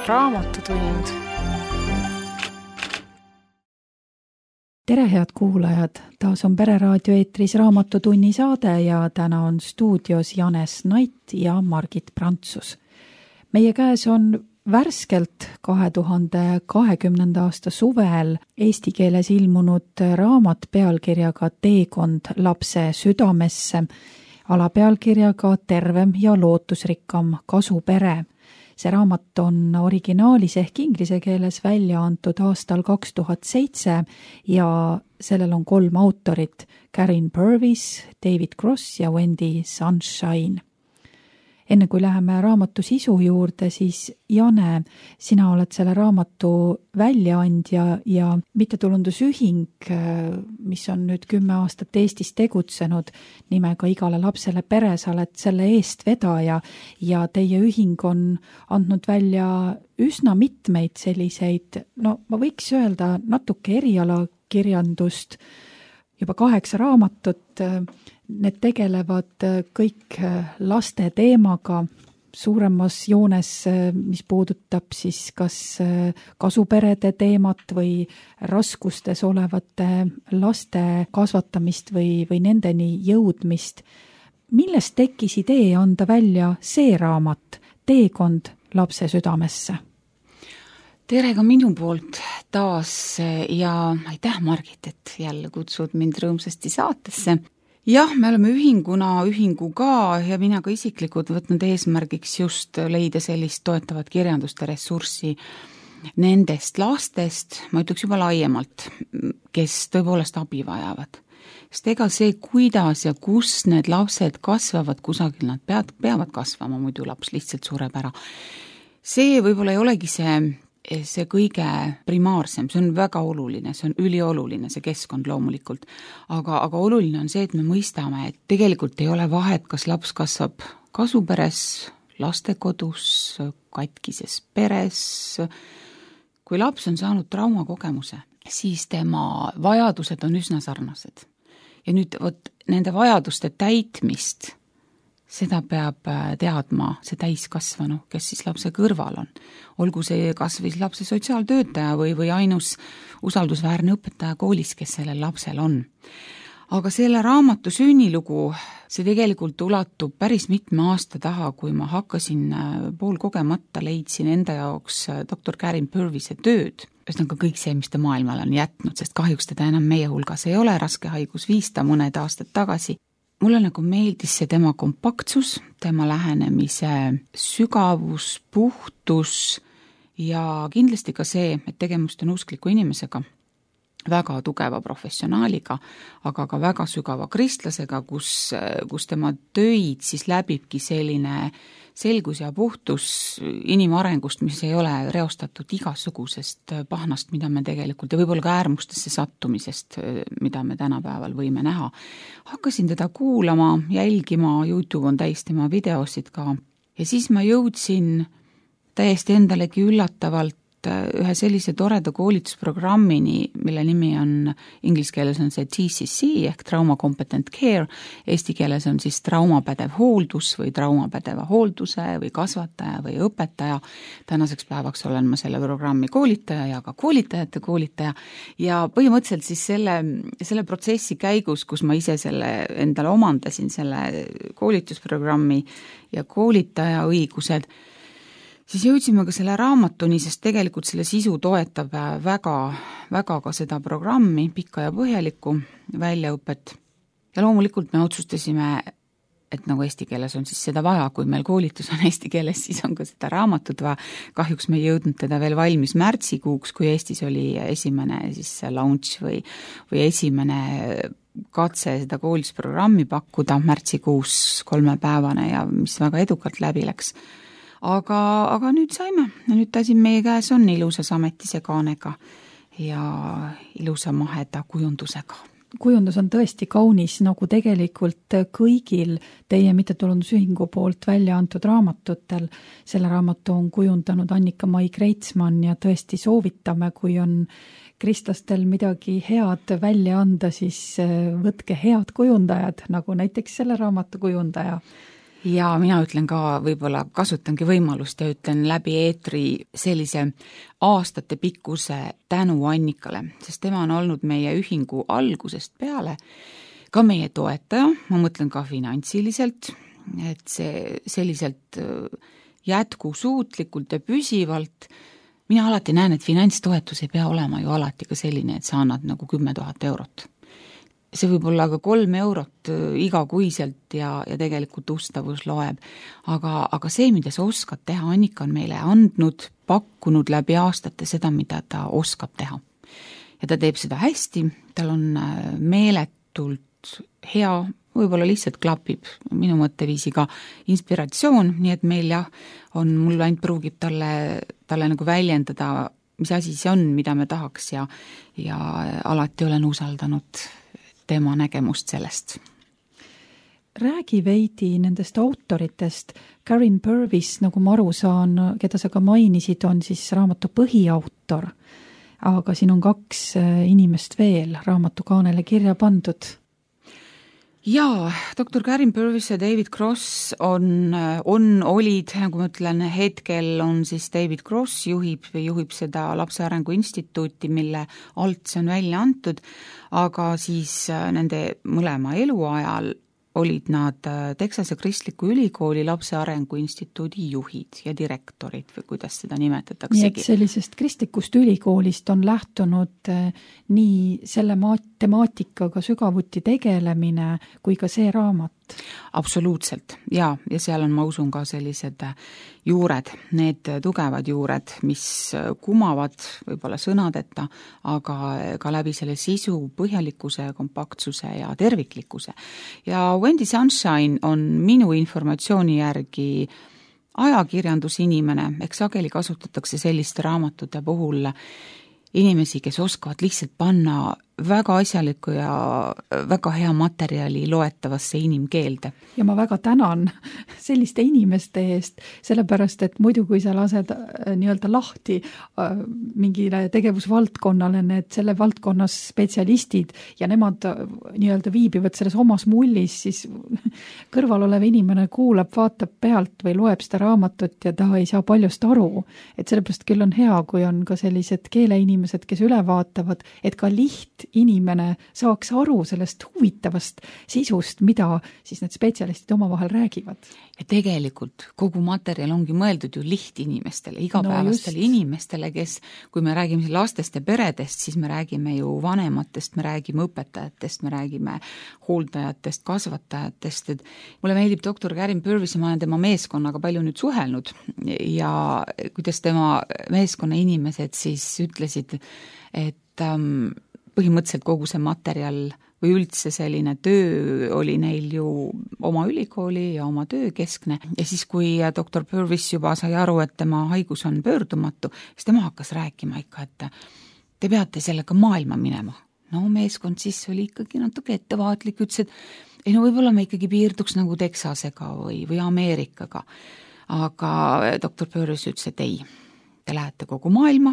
Raamatutund. Tere, head kuulajad! Taas on Pereraadio eetris Raamatutunni saade ja täna on stuudios Janes Nait ja Margit Prantsus. Meie käes on värskelt 2020. aasta suvel eesti keeles ilmunud raamat pealkirjaga Teekond lapse südamesse, alapealkirjaga Tervem ja lootusrikkam kasupere. See raamat on originaalis ehk inglise keeles välja antud aastal 2007 ja sellel on 3 autorit, Karin Purvis, David Cross ja Wendy Sunshine. Enne kui läheme raamatu sisu juurde, siis Jane, sina oled selle raamatu väljaandja ja mittetulundusühing, mis on nüüd 10 aastat Eestis tegutsenud nimega Igale lapsele pere, sa oled selle eestvedaja ja teie ühing on andnud välja üsna mitmeid selliseid, no ma võiks öelda natuke erialakirjandust, juba 8 raamatut. Need tegelevad kõik laste teemaga suuremas joones, mis puudutab siis kas kasuperede teemat või raskustes olevate laste kasvatamist või nendeni jõudmist. Millest tekkis idee anda välja see raamat, Teekond lapse südamesse? Tere ka minu poolt taas ja aitäh, Margit, et jälle kutsud mind rõõmsasti saatesse. Jah, me oleme ühingu ka ja mina ka isiklikult võtnud eesmärgiks just leida sellist toetavat kirjanduste ressurssi nendest lastest, ma ütleks juba laiemalt, kes tõepoolest abi vajavad. Sest ega see, kuidas ja kus need lapsed kasvavad kusagil, nad peavad kasvama, muidu laps lihtsalt sureb ära. See võib-olla ei olegi see kõige primaarsem, see on väga oluline, see on ülioluline, see keskkond loomulikult. Aga oluline on see, et me mõistame, et tegelikult ei ole vahet, kas laps kasvab kasuperes, lastekodus, katkises peres. Kui laps on saanud traumakogemuse, siis tema vajadused on üsna sarnased. Ja nüüd nende vajaduste täitmist, seda peab teadma see täiskasvanu, kes siis lapse kõrval on. Olgu see kas või lapse sotsiaaltöötaja või ainus usaldusväärne õpetaja koolis, kes sellel lapsel on. Aga selle raamatu sünnilugu, see tegelikult ulatub päris mitme aasta taha, kui ma hakkasin poolkogemata leidsin enda jaoks doktor Karin Purvise tööd. Ühesõnaga kõik see, mis ta maailmale on jätnud, sest kahjuks teda enam meie hulgas ei ole, raske haigus viis ta mõned aastad tagasi. Mulle nagu meeldis see tema kompaktsus, tema lähenemise sügavus, puhtus ja kindlasti ka see, et tegemist on uskliku inimesega, väga tugeva professionaaliga, aga ka väga sügava kristlasega, kus tema töid siis läbibki selline selgus ja puhtus inimarengust, mis ei ole reostatud igasugusest pahnast, mida me tegelikult ja võib-olla ka äärmustesse sattumisest, mida me tänapäeval võime näha. Hakkasin teda kuulama, jälgima, YouTube on täis tema videosid ka ja siis ma jõudsin täiesti endalegi üllatavalt ühe sellise toreda koolitusprogrammini, mille nimi on, inglise keeles on see TCC ehk Trauma Competent Care, eesti keeles on siis traumapädev hooldus või traumapädeva hoolduse või kasvataja või õpetaja. Tänaseks päevaks olen ma selle programmi koolitaja ja ka koolitajate koolitaja ja põhimõtteliselt siis selle protsessi käigus, kus ma ise selle endale omandasin, selle koolitusprogrammi ja koolitaja õigused, siis jõudsime ka selle raamatuni, sest tegelikult selle sisu toetab väga ka seda programmi, pikka ja põhjalikku väljaõpet. Ja loomulikult me otsustasime, et nagu eesti keeles on siis seda vaja, kui meil koolitus on eesti keeles, siis on ka seda raamatut vaja. Kahjuks me ei jõudnud teda veel valmis märtsikuuks, kui Eestis oli esimene siis launch või esimene katse seda koolitusprogrammi pakkuda märtsikuus 3-päevane ja mis väga edukalt läbi läks. Aga nüüd saime, nüüd ta siin meie käes on ilusas ametise kaanega ja ilusa maheda kujundusega. Kujundus on tõesti kaunis, nagu tegelikult kõigil teie mittetulundusühingu poolt välja antud raamatutel. Selle raamatu on kujundanud Annika-Mai Kreitsmann ja tõesti soovitame, kui on kristlastel midagi head välja anda, siis võtke head kujundajad, nagu näiteks selle raamatu kujundaja. Ja mina ütlen ka, võib-olla kasutangi võimalust ja ütlen läbi eetri sellise aastate pikkuse tänu Annikale, sest tema on olnud meie ühingu algusest peale ka meie toetaja, ma mõtlen ka finantsiliselt, et see selliselt jätkusuutlikult ja püsivalt. Mina alati näen, et finantstoetus ei pea olema ju alati ka selline, et sa annad nagu 10 000 eurot. See võib olla ka 3 eurot igakuiselt ja tegelikult ustavus loeb. Aga see, mida sa oskad teha, Annika on meile andnud, pakkunud läbi aastate seda, mida ta oskab teha. Ja ta teeb seda hästi, tal on meeletult hea, võib-olla lihtsalt klapib minu mõtteviisiga inspiratsioon, nii et meil mul ainult pruugib talle nagu väljendada, mis asi see on, mida me tahaks ja alati olen usaldanud tema nägemust sellest. Räägi veidi nendest autoritest. Karin Purvis, nagu ma aru saan, keda sa ka mainisid, on siis raamatu põhiautor, aga siin on 2 inimest veel raamatu kaanele kirja pandud. Jaa, doktor Karin Purvis ja David Cross olid, nagu ma ütlen, hetkel on siis David Cross juhib seda Lapse Arengu Instituuti, mille alt see on välja antud, aga siis nende mõlema eluajal olid nad Texase Kristliku Ülikooli Lapse Arengu Instituudi juhid ja direktorid või kuidas seda nimetatakse. Nii et sellisest kristlikust ülikoolist on lähtunud nii selle temaatikaga sügavuti tegelemine kui ka see raamat. Absoluutselt, ja seal on, ma usun, ka sellised juured, need tugevad juured, mis kumavad võib-olla sõnadeta, aga ka läbi selle sisu põhjalikkuse, kompaktsuse ja terviklikkuse. Ja Wendy Sunshine on minu informatsiooni järgi ajakirjandusinimene, eks sageli kasutatakse selliste raamatute puhul inimesi, kes oskavad lihtsalt panna väga asjaliku ja väga hea materjali loetavasse inimkeelde. Ja ma väga tänan selliste inimeste eest, sellepärast, et muidu kui sa lased nii-öelda lahti mingile tegevusvaldkonnale, need selle valdkonnas spetsialistid ja nemad nii-öelda viibivad selles omas mullis, siis kõrval olev inimene kuulab, vaatab pealt või loeb seda raamatut ja ta ei saa paljust aru. Et sellepärast küll on hea, kui on ka sellised keeleinimesed, kes üle vaatavad, et ka inimene saaks aru sellest huvitavast sisust, mida siis need spetsialistid omavahel räägivad. Ja tegelikult kogu materjal ongi mõeldud ju lihtinimestele, igapäevastele inimestele, kes, kui me räägime lastest ja peredest, siis me räägime ju vanematest, me räägime õpetajatest, me räägime hooldajatest, kasvatajatest. Et mulle meeldib doktor Karin Purvis, ma olen tema meeskonnaga palju nüüd suhelnud ja kuidas tema meeskonna inimesed siis ütlesid, et põhimõtteliselt kogu see materjal või üldse selline töö oli neil ju oma ülikooli ja oma töö keskne. Ja siis, kui doktor Purvis juba sai aru, et tema haigus on pöördumatu, siis tema hakkas rääkima ikka, et te peate sellega maailma minema. No meeskond siis oli ikkagi natuke ettevaatlik, ütles, et ei no võib-olla me ikkagi piirduks nagu Texasega või Ameerikaga. Aga doktor Purvis ütles, et ei, te lähete kogu maailma.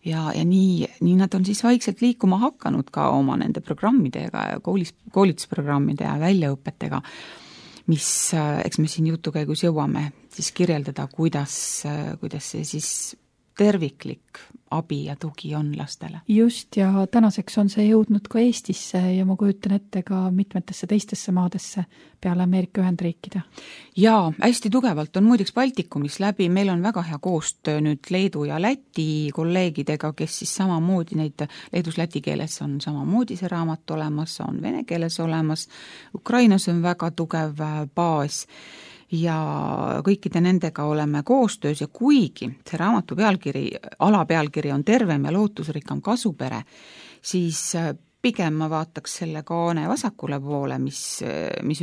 Ja nii nad on siis vaikselt liikuma hakanud ka oma nende programmidega ja koolitusprogrammide ja väljaõpetega, mis, eks me siin jutu käigus jõuame siis kirjeldada, kuidas see siis terviklik abi ja tugi on lastele. Just, ja tänaseks on see jõudnud ka Eestisse ja ma kujutan ette ka mitmetesse teistesse maadesse peale Ameerika Ühendriikide. Jaa, hästi tugevalt on muideks Baltikumis läbi, meil on väga hea koostöö nüüd Leedu ja Läti kolleegidega, kes siis samamoodi neid, leedus-läti keeles on samamoodi see raamat olemas, on vene keeles olemas, Ukrainas on väga tugev baas ja kõikide nendega oleme koostöös ja kuigi see raamatu alapealkiri on Tervem ja lootusrikkam kasupere, siis pigem ma vaataks selle kaane vasakule poole, mis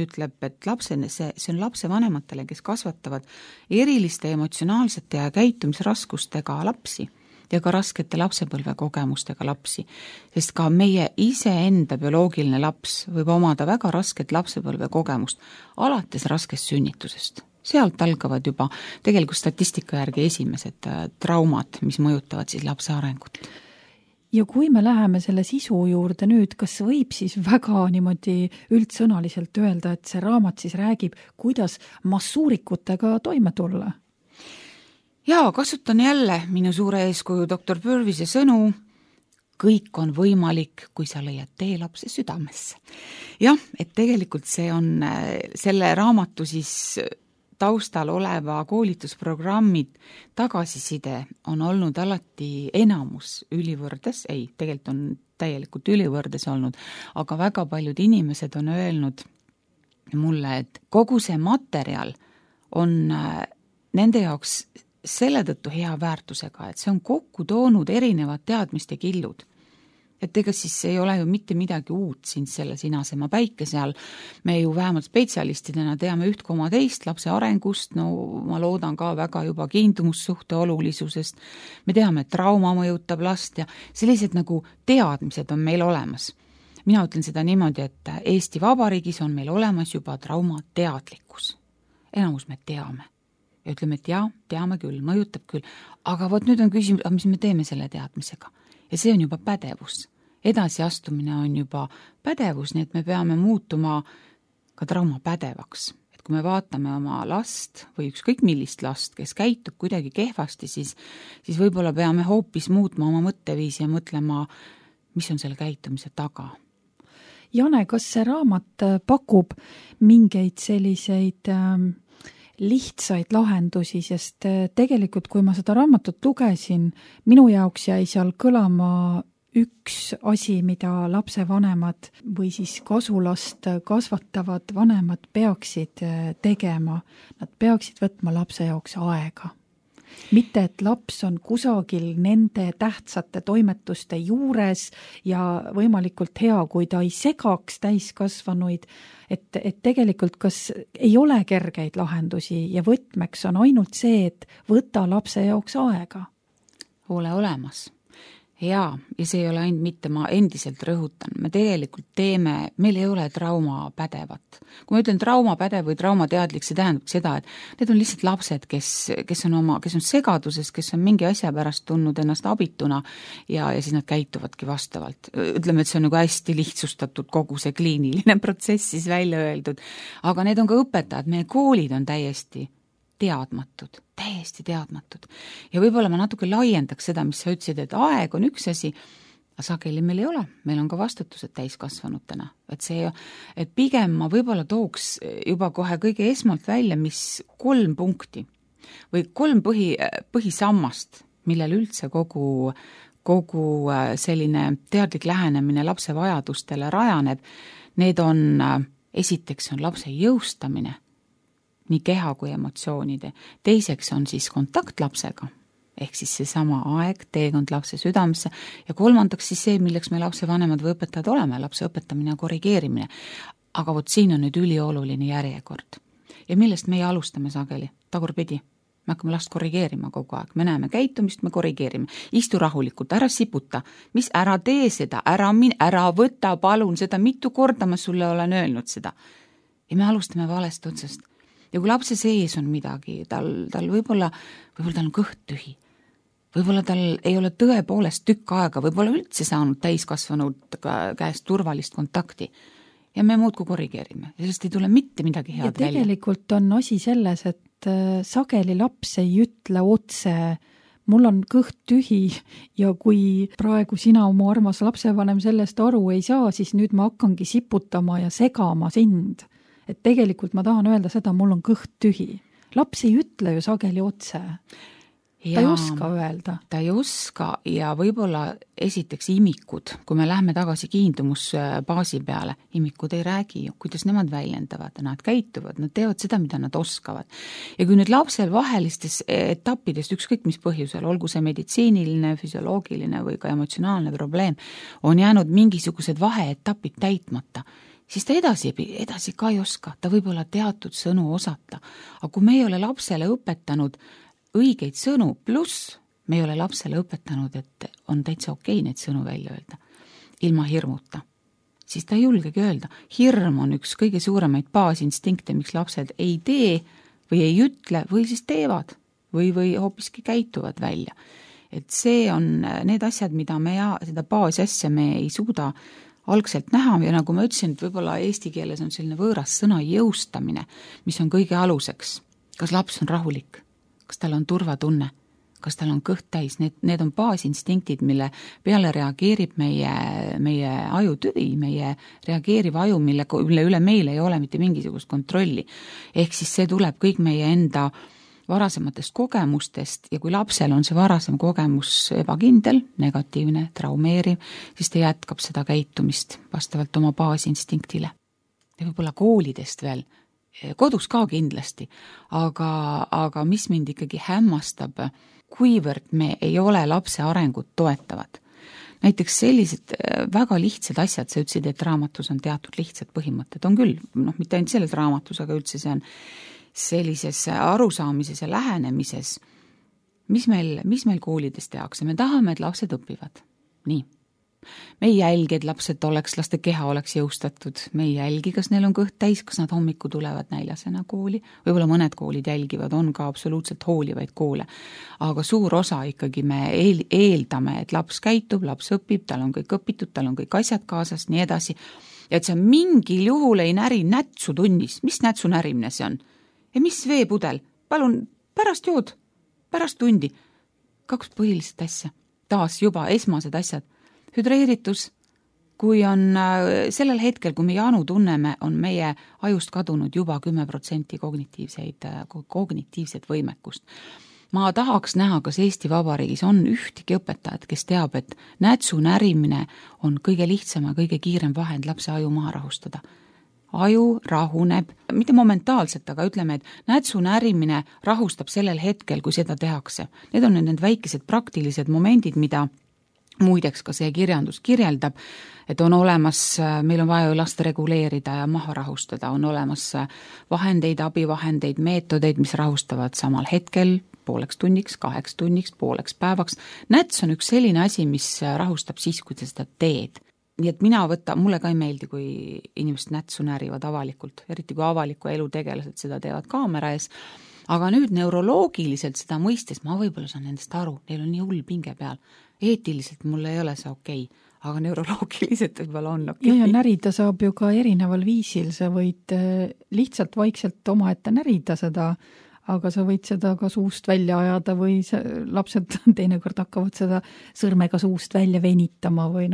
ütleb, et see on lapsevanematele, kes kasvatavad eriliste emotsionaalsete ja käitumisraskustega lapsi ja ka raskete lapsepõlvekogemustega lapsi, sest ka meie iseenda bioloogiline laps võib omada väga rasket lapsepõlvekogemust, alates raskest sünnitusest. Sealt algavad juba tegelikult statistika järgi esimesed traumad, mis mõjutavad siis lapse arengut. Ja kui me läheme selle sisu juurde nüüd, kas võib siis väga niimoodi üldsõnaliselt öelda, et see raamat siis räägib, kuidas massuurikutega toime tulla? Jaa, kasutan jälle minu suure eeskuju doktor Purvise sõnu, kõik on võimalik, kui sa leiad tee lapse südamesse. Jah, et tegelikult see on selle raamatu siis taustal oleva koolitusprogrammi tagasiside on olnud alati enamus ülivõrdes, ei, tegelikult on täielikult ülivõrdes olnud, aga väga paljud inimesed on öelnud mulle, et kogu see materjal on nende jaoks selle tõttu hea väärtusega, et see on kokku toonud erinevad teadmiste killud. Et ega siis ei ole ju mitte midagi uut siin selle sinasema päikese all. Me ju vähemalt spetsialistidena teame 1,2 lapse arengust, no ma loodan ka väga juba kiindumussuhte olulisusest. Me teame, et trauma mõjutab last ja sellised nagu teadmised on meil olemas. Mina ütlen seda niimoodi, et Eesti Vabariigis on meil olemas juba traumateadlikkus. Enamus me teame. Ja ütleme, et jaa, teame küll, mõjutab küll. Aga vot nüüd on küsimus, mis me teeme selle teadmisega? Ja see on juba pädevus. Edasiastumine on juba pädevus, nii et me peame muutuma ka trauma pädevaks. Et kui me vaatame oma last või ükskõik millist last, kes käitub kuidagi kehvasti, siis võib-olla peame hoopis muutma oma mõtteviisi ja mõtlema, mis on selle käitumise taga. Jane, kas see raamat pakub mingeid selliseid lihtsaid lahendusi, sest tegelikult, kui ma seda raamatut lugesin, minu jaoks jäi seal kõlama üks asi, mida lapsevanemad või siis kasulast kasvatavad vanemad peaksid tegema. Nad peaksid võtma lapse jaoks aega. Mitte, et laps on kusagil nende tähtsate toimetuste juures ja võimalikult hea, kui ta ei segaks täiskasvanuid, et tegelikult kas ei ole kergeid lahendusi ja võtmeks on ainult see, et võta lapse jaoks aega. Ole olemas. Jaa, ja see ei ole ainult mitte, ma endiselt rõhutan, me tegelikult teeme, meil ei ole trauma pädevat. Kui ma ütlen trauma pädev või traumateadlik, see tähendab seda, et need on lihtsalt lapsed, kes on segaduses, kes on mingi asja pärast tundnud ennast abituna ja siis nad käituvadki vastavalt. Ütleme, et see on nagu hästi lihtsustatud kogu see kliiniline protsess siis välja öeldud. Aga need on ka õpetajad, meie koolid on täiesti teadmatud. Ja võib-olla ma natuke laiendaks seda, mis sa ütlesid, et aeg on üks asi, aga sageli meil ei ole. Meil on ka vastutused täiskasvanutena. Et pigem ma võib-olla tooks juba kohe kõige esmalt välja, mis 3 punkti või 3 põhisammast, millel üldse kogu selline teadlik lähenemine lapse vajadustele rajaneb. Need on, esiteks on lapse jõustamine, nii keha kui emotsioonide. Teiseks on siis kontakt lapsega, ehk siis seesama aeg, teekond lapse südamesse ja kolmandaks siis see, milleks me lapse vanemad või õpetajad oleme, lapse õpetamine ja korrigeerimine. Aga vot siin on nüüd ülioluline järjekord. Ja millest meie alustame sageli? Tagurpidi. Me hakkame last korrigeerima kogu aeg. Me näeme käitumist, me korrigeerime. Istu rahulikult, ära siputa. Mis ära tee seda, ära võta, palun seda, mitu korda ma sulle olen öelnud seda. Ja me alustame valest otsast. Ja kui lapse sees on midagi, tal võib-olla tal on kõht tühi. Võib-olla tal ei ole tõepoolest tükk aega, võib-olla üldse saanud täiskasvanud käest turvalist kontakti. Ja me muudku korrigeerime. Sellest ei tule mitte midagi head välja. Ja tegelikult on asi selles, et sageli laps ei ütle otse, mul on kõht tühi ja kui praegu sina, mu armas lapsevanem, sellest aru ei saa, siis nüüd ma hakkangi siputama ja segama sind. Et tegelikult ma tahan öelda seda, mul on kõht tühi. Laps ei ütle ju sageli otse. Ta ei oska öelda. Ta ei oska ja võib-olla esiteks imikud, kui me lähme tagasi kiindumusbaasi peale, imikud ei räägi ju, kuidas nemad väljendavad, nad käituvad, nad teevad seda, mida nad oskavad. Ja kui nüüd lapsel vahelistes etappidest, ükskõik mis põhjusel, olgu see meditsiiniline, füsioloogiline või ka emotsionaalne probleem, on jäänud mingisugused vaheetapid täitmata, siis ta edasi ka ei oska, ta võib olla teatud sõnu osata. Aga kui me ei ole lapsele õpetanud õigeid sõnu, pluss me ei ole lapsele õpetanud, et on täitsa okei neid sõnu välja öelda, ilma hirmuta, siis ta ei julgegi öelda. Hirm on üks kõige suuremaid baasinstinkte, miks lapsed ei tee või ei ütle või siis teevad või hoopiski käituvad välja. et see on need asjad, mida seda baasasja me ei suuda algselt näha ja nagu ma ütlesin, et võib-olla eesti keeles on selline võõras sõna jõustamine, mis on kõige aluseks. Kas laps on rahulik? Kas tal on turvatunne? Kas tal on kõht täis? Need on baasinstinkid, mille peale reageerib meie ajutüvi, meie reageeriv aju, mille üle meil ei ole mitte mingisugust kontrolli. Ehk siis see tuleb kõik meie enda varasematest kogemustest ja kui lapsel on see varasem kogemus ebakindel, negatiivne, traumeeriv, siis ta jätkab seda käitumist vastavalt oma baasinstinktile. Ja võib-olla koolidest veel, kodus ka kindlasti, aga mis mind ikkagi hämmastab, kuivõrd me ei ole lapse arengut toetavad. Näiteks sellised väga lihtsad asjad, sa ütlesid, et raamatus on teatud lihtsad põhimõtted, on küll, mitte ainult selles raamatus, aga üldse see on sellises arusaamises ja lähenemises, mis meil koolides tehakse. Me tahame, et lapsed õpivad. Nii. Me ei jälgi, et laste keha oleks jõustatud. Me ei jälgi, kas neil on kõht täis, kas nad hommiku tulevad näljasena kooli. Võib-olla mõned koolid jälgivad, on ka absoluutselt hoolivaid koole. Aga suur osa ikkagi me eeldame, et laps käitub, laps õpib, tal on kõik õpitud, tal on kõik asjad kaasas, nii edasi. Ja et see mingil juhul ei näri nätsu tunnis. Mis nätsu närimine see on? Ja mis veepudel? Palun, pärast jood, pärast tundi. 2 põhilist asja. Taas juba esmased asjad. Hüdreeritus, kui on sellel hetkel, kui me janu tunneme, on meie ajust kadunud juba 10% kognitiivset võimekust. Ma tahaks näha, kas Eesti Vabariigis on ühtegi õpetajat, kes teab, et nätsu närimine on kõige lihtsam ja kõige kiirem vahend lapse aju maha rahustada. Aju rahuneb, mitte momentaalselt, aga ütleme, et nätsu närimine rahustab sellel hetkel, kui seda tehakse. Need on need väikesed praktilised momendid, mida muideks ka see kirjandus kirjeldab, et on olemas, meil on vaja last reguleerida ja maha rahustada, on olemas vahendeid, abivahendeid, meetodeid, mis rahustavad samal hetkel, 0,5 tunniks, 8 tunniks, pooleks päevaks. Näts on üks selline asi, mis rahustab siis, kui seda teed. Nii et mulle ka ei meeldi, kui inimesed nätsu närivad avalikult, eriti kui avaliku elu tegelased seda teevad kaamera ees. Aga nüüd neuroloogiliselt seda mõistes, ma võib-olla saan nendest aru, neil on nii hull pinge peal. Eetiliselt mul ei ole see okei, aga neuroloogiliselt võib-olla on okei. Ja närida saab ju ka erineval viisil, sa võid lihtsalt vaikselt omaette närida seda, aga sa võid seda ka suust välja ajada või lapsed teinekord hakkavad seda sõrmega suust välja venitama või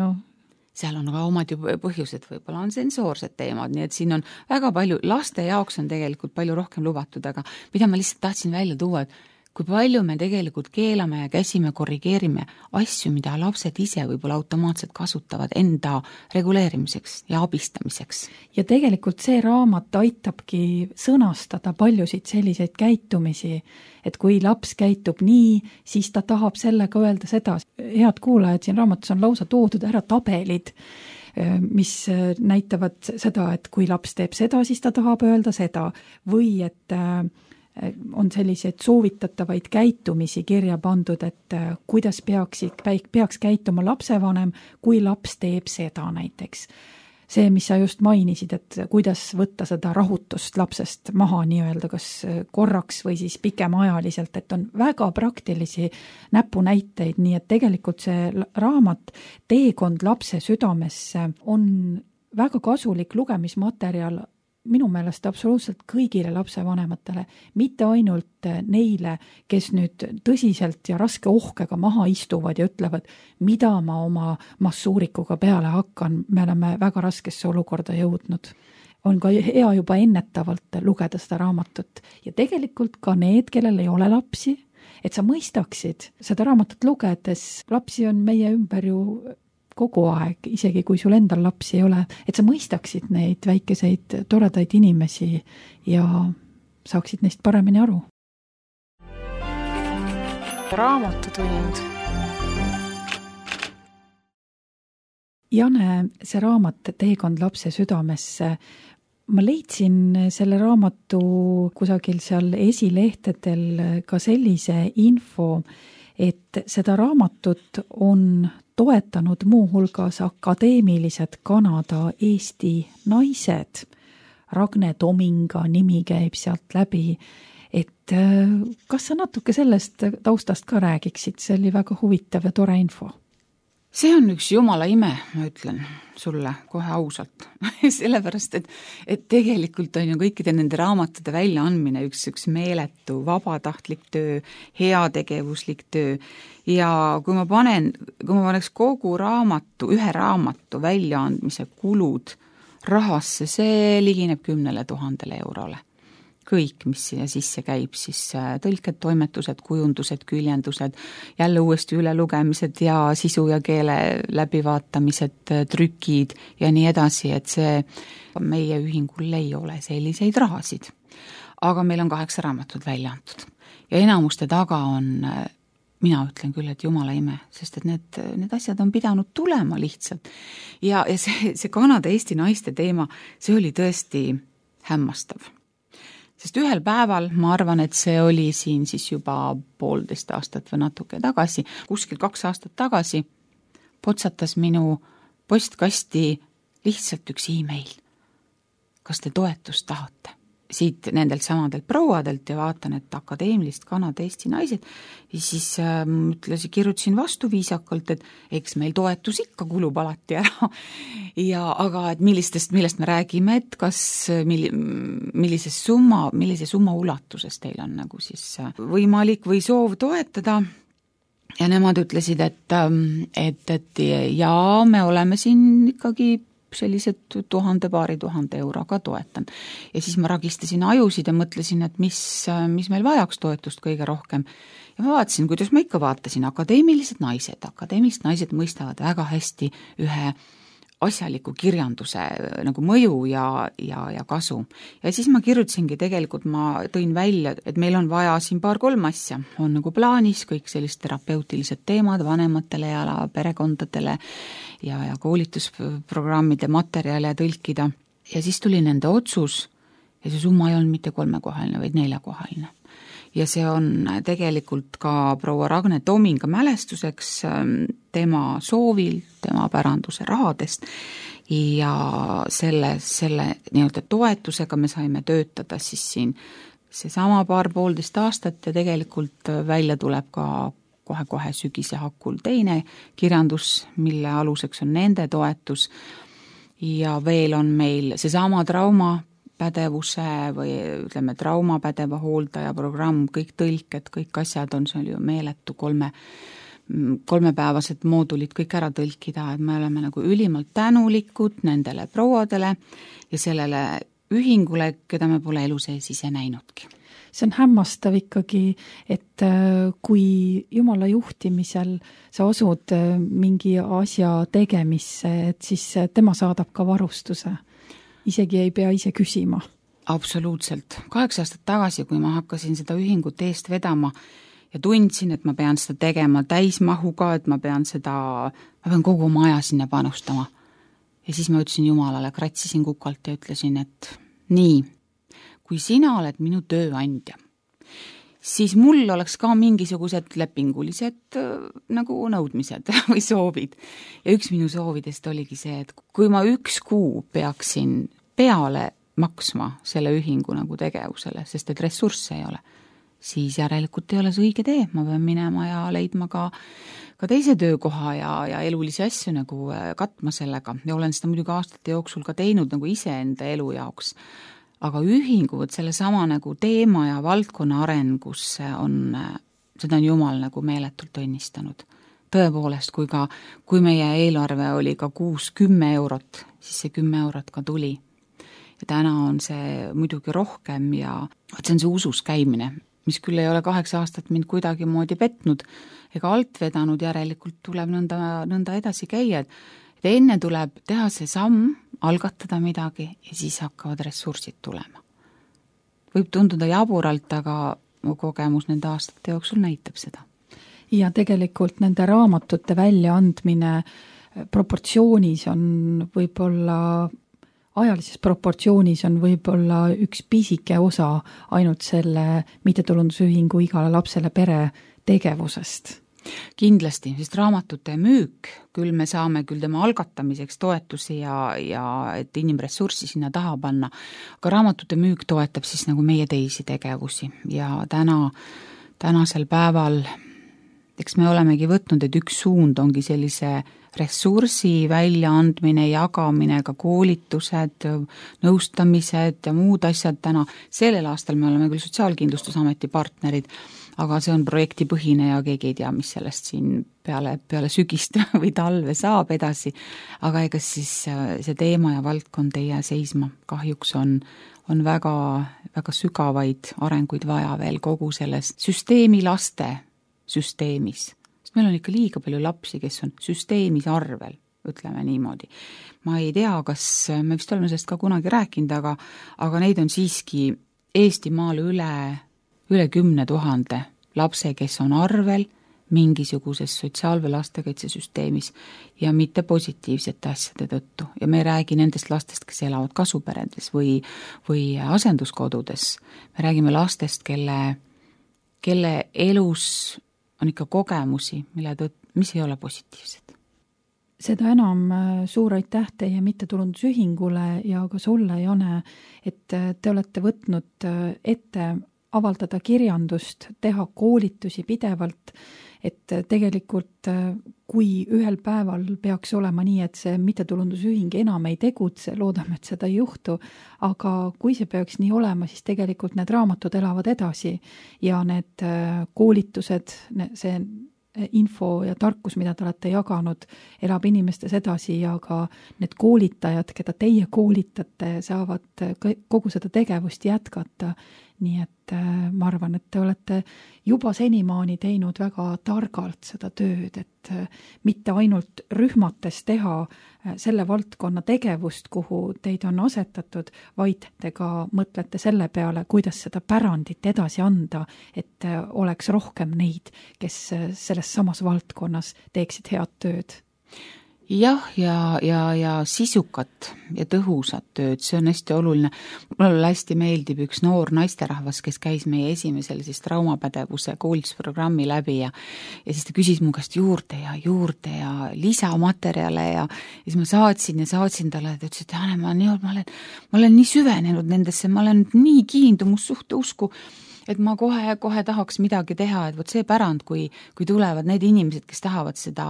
seal on ka omad ju põhjused, võib-olla on sensoorsed teemad, nii et siin on väga palju, laste jaoks on tegelikult palju rohkem lubatud, aga mida ma lihtsalt tahtsin välja tuua, et kui palju me tegelikult keelame ja käsime, korrigeerime asju, mida lapsed ise võib-olla automaatselt kasutavad enda reguleerimiseks ja abistamiseks. Ja tegelikult see raamat aitabki sõnastada paljusid selliseid käitumisi, et kui laps käitub nii, siis ta tahab sellega öelda seda. Head kuulajad, siin raamatus on lausa toodud ära tabelid, mis näitavad seda, et kui laps teeb seda, siis ta tahab öelda seda või et on selliseid soovitatavaid käitumisi kirja pandud, et kuidas peaks käituma lapsevanem, kui laps teeb seda näiteks. See, mis sa just mainisid, et kuidas võtta seda rahutust lapsest maha nii-öelda, kas korraks või siis pikemaajaliselt, et on väga praktilisi näpunäiteid, nii et tegelikult see raamat Teekond lapse südamesse on väga kasulik lugemismaterjal minu meelest absoluutselt kõigile lapsevanematele, mitte ainult neile, kes nüüd tõsiselt ja raske ohkega maha istuvad ja ütlevad, mida ma oma massuurikuga peale hakkan, me oleme väga raskesse olukorda jõudnud. On ka hea juba ennetavalt lugeda seda raamatut ja tegelikult ka need, kellel ei ole lapsi, et sa mõistaksid seda raamatut lugedes, lapsi on meie ümber ju kogu aeg, isegi kui sul endal lapsi ei ole, et sa mõistaksid neid väikeseid toredaid inimesi ja saaksid neist paremini aru. Raamatutund. Jane, see raamat Teekond lapse südamesse, ma leidsin selle raamatu kusagil seal esilehtedel ka sellise info, et seda raamatut on toetanud muuhulgas akadeemilised Kanada Eesti naised. Ragne Tominga nimi käib sealt läbi, et kas sa natuke sellest taustast ka räägiksid, see oli väga huvitav ja tore info. See on üks jumala ime, ma ütlen sulle kohe ausalt. Sellepärast, et tegelikult on ju kõikide nende raamatute väljaandmine üks meeletu vabatahtlik töö, heategevuslik töö ja kui ma paneks kogu ühe raamatu väljaandmise kulud rahasse, see ligineb 10 000 eurole. Kõik, mis siia sisse käib, siis tõlked, toimetused, kujundused, küljendused, jälle uuesti ülelugemised ja sisu ja keele läbivaatamised, trükid ja nii edasi, et see meie ühingul ei ole selliseid rahasid. Aga meil on 8 raamatut välja antud ja enamuste taga on, mina ütlen küll, et jumala ime, sest et need asjad on pidanud tulema lihtsalt. Ja see Kanada-Eesti naiste teema, see oli tõesti hämmastav. Sest ühel päeval, ma arvan, et see oli siin siis juba 1,5 aastat või natuke tagasi, kuskil 2 aastat tagasi, potsatas minu postkasti lihtsalt üks e-mail. Kas te toetust tahate? Siit nendelt samadelt prouadelt ja vaatan, et akadeemilist Kanada-Eesti naised ja siis kirjutasin vastu viisakalt, et eks meil toetus ikka kulub alati ära. Aga et millest me räägime, et kas millise summa ulatuses teil on nagu siis võimalik või soov toetada. Ja nemad ütlesid, et jaa, me oleme siin ikkagi sellised 1000 euroga toetan. Ja siis ma ragistasin ajusid ja mõtlesin, et mis meil vajaks toetust kõige rohkem. Ja ma vaatasin, kuidas ma ikka vaatasin, akadeemilised naised mõistavad väga hästi ühe asjaliku kirjanduse nagu mõju ja kasu. Ja siis ma kirjutasingi tegelikult, ma tõin välja, et meil on vaja siin 2-3 asja. On nagu plaanis kõik sellised terapeutilised teemad vanematele ja perekondadele ja koolitusprogrammide materjale tõlkida. Ja siis tuli nende otsus ja see summa ei olnud mitte 3-kohaline, vaid 4-kohaline. Ja see on tegelikult ka proua Ragne Tominga mälestuseks tema soovil, tema päranduse rahadest ja selle nii-öelda toetusega me saime töötada siis siin seesama 2,5 aastat ja tegelikult välja tuleb ka kohe sügise hakul teine kirjandus, mille aluseks on nende toetus ja veel on meil seesama traumapädevuse või ütleme traumapädeva hooldaja programm, kõik tõlked, kõik asjad on seal ju meeletu 3-päevased moodulid kõik ära tõlkida, et me oleme nagu ülimalt tänulikud nendele prouadele ja sellele ühingule, keda me pole elu sees ise näinudki. See on hämmastav ikkagi, et kui Jumala juhtimisel sa asud mingi asja tegemisse, et siis tema saadab ka varustuse. Isegi ei pea ise küsima. Absoluutselt. 8 aastat tagasi, kui ma hakkasin seda ühingut eest vedama ja tundsin, et ma pean seda tegema täismahuga, et ma pean kogu oma aja sinna panustama. Ja siis ma ütlesin Jumalale, kratsisin kukalt ja ütlesin, et nii, kui sina oled minu tööandja, siis mul oleks ka mingisugused lepingulised nagu nõudmised või soovid. Ja üks minu soovidest oligi see, et kui ma 1 kuu peaksin peale maksma selle ühingu nagu tegevusele, sest et ressursse ei ole, siis järelikult ei ole see õige tee. Ma pean minema ja leidma ka teise töökoha ja elulisi asju nagu katma sellega. Ja olen seda muidugi aastate jooksul ka teinud nagu iseenda elu jaoks. Aga ühingud selle sama nagu teema ja valdkonna arengus seda on Jumal nagu meeletult õnnistanud. Tõepoolest, kui meie eelarve oli ka 6-10 eurot, siis see 10 eurot ka tuli. Ja täna on see muidugi rohkem ja see on see usus käimine, mis küll ei ole 8 aastat mind kuidagi moodi petnud ega alt vedanud, järelikult tuleb nõnda edasi käia. Et enne tuleb teha see samm, algatada midagi ja siis hakkavad ressursid tulema. Võib tunduda jaburalt, aga mu kogemus nende aastate jooksul näitab seda. Ja tegelikult nende raamatute väljaandmine proportsioonis on võib-olla, ajalises proportsioonis on võib-olla üks pisike osa ainult selle mittetulundusühingu igale lapsele pere tegevusest. Kindlasti, sest raamatute müük, küll me saame küll tema algatamiseks toetusi ja et inimressurssi sinna taha panna, aga raamatute müük toetab siis nagu meie teisi tegevusi ja tänasel päeval eks me olemegi võtnud, et üks suund ongi sellise ressursi väljaandmine, jagamine, ka koolitused, nõustamised ja muud asjad täna. Sellel aastal me oleme küll Sotsiaalkindlustusameti partnerid, aga see on projektipõhine ja keegi ei tea, mis sellest siin peale sügist või talve saab edasi. Aga ega siis see teema ja valdkond ei jää seisma. Kahjuks on väga, väga sügavaid arenguid vaja veel kogu selles süsteemi laste süsteemis. Sest meil on ikka liiga palju lapsi, kes on süsteemis arvel, ütleme niimoodi. Ma ei tea, kas me vist oleme sellest ka kunagi rääkinud, aga neid on siiski Eestimaal üle 10 000 lapse, kes on arvel mingisuguses sotsiaal- või lastekaitsesüsteemis ja mitte positiivsete asjade tõttu. Ja me ei räägi nendest lastest, kes elavad kasuperedes või asenduskodudes. Me räägime lastest, kelle elus on ikka kogemusi, mis ei ole positiivsed. Seda enam suur aitäh teie mittetulundusühingule ja ka sulle, Jane, et te olete võtnud ette avaldada kirjandust, teha koolitusi pidevalt, et tegelikult kui ühel päeval peaks olema nii, et see mittetulundusühing enam ei tegutse, loodame, et seda ei juhtu, aga kui see peaks nii olema, siis tegelikult need raamatud elavad edasi ja need koolitused, see info ja tarkus, mida te olete jaganud, elab inimestes edasi ja ka need koolitajad, keda teie koolitate, saavad kogu seda tegevust jätkata. Nii et ma arvan, et te olete juba senimaani teinud väga targalt seda tööd, et mitte ainult rühmates teha selle valdkonna tegevust, kuhu teid on asetatud, vaid te ka mõtlete selle peale, kuidas seda pärandit edasi anda, et oleks rohkem neid, kes selles samas valdkonnas teeksid head tööd. Jah, ja sisukat ja tõhusat tööd, see on hästi oluline. Mulle hästi meeldib üks noor naisterahvas, kes käis meie esimesel siis traumapädevuse koolitusprogrammi läbi ja siis ta küsis mu käest juurde ja lisamaterjale ja siis ma saatsin talle, et ütles, et Jane, ma olen nii süvenenud nendesse, ma olen nii kiindumussuhte usku, et ma kohe tahaks midagi teha, et võt see pärand, kui tulevad need inimesed, kes tahavad seda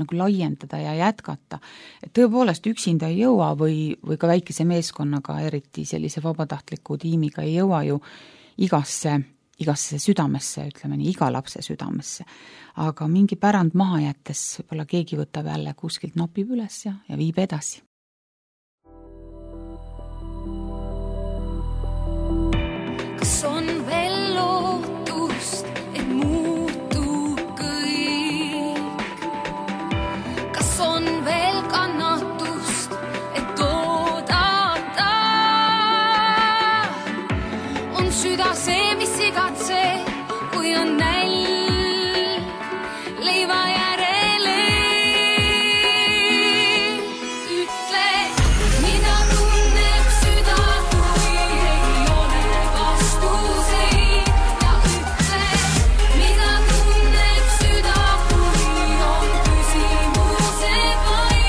nagu laiendada ja jätkata. Et tõepoolest üksinda ei jõua või ka väikese meeskonnaga, eriti sellise vabatahtliku tiimiga ei jõua ju igasse südamesse, ütleme nii, iga lapse südamesse. Aga mingi pärand maha jättes võib-olla keegi võtab jälle kuskilt nopib üles ja viib edasi. Kas on veel lootust, et muutub kõik? Kas on veel kannatust, et oodata? On süda see, mis igatseb, kui on nälg leiva järele? Ütle, mida tunneb süda, kui ei ole vastuseid. Ja ütle, mida tunneb süda, kui on küsimused vaid.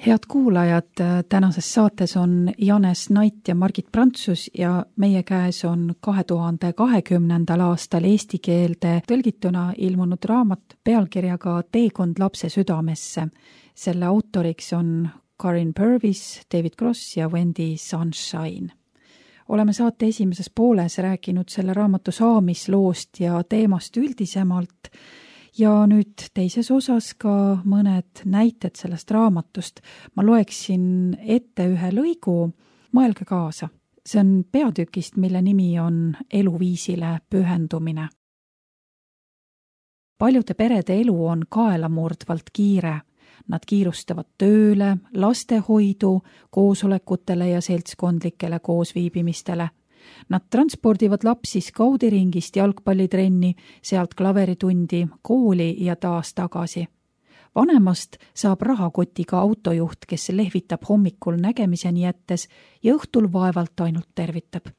Head kuulajad, tänases saates on Janes Nait ja Margit Prantsus ja meie käes on 2020. aastal eesti keelde tõlgituna ilmunud raamat pealkirjaga Teekond lapse südamesse. Selle autoriks on Karin Purvis, David Cross ja Wendy Sunshine. Oleme saate esimeses pooles rääkinud selle raamatu saamisloost ja teemast üldisemalt ja nüüd teises osas ka mõned näited sellest raamatust. Ma loeksin ette ühe lõigu, mõelge kaasa. See on peatükist, mille nimi on Eluviisile pühendumine. Paljude perede elu on kaelamurdvalt kiire. Nad kiirustavad tööle, lastehoidu, koosolekutele ja seltskondlikele koosviibimistele. Nad transpordivad lapsi skaudiringist jalgpallitrenni, sealt klaveritundi, kooli ja taas tagasi. Vanemast saab rahakotiga autojuht, kes lehvitab hommikul nägemiseni jättes ja õhtul vaevalt ainult tervitab.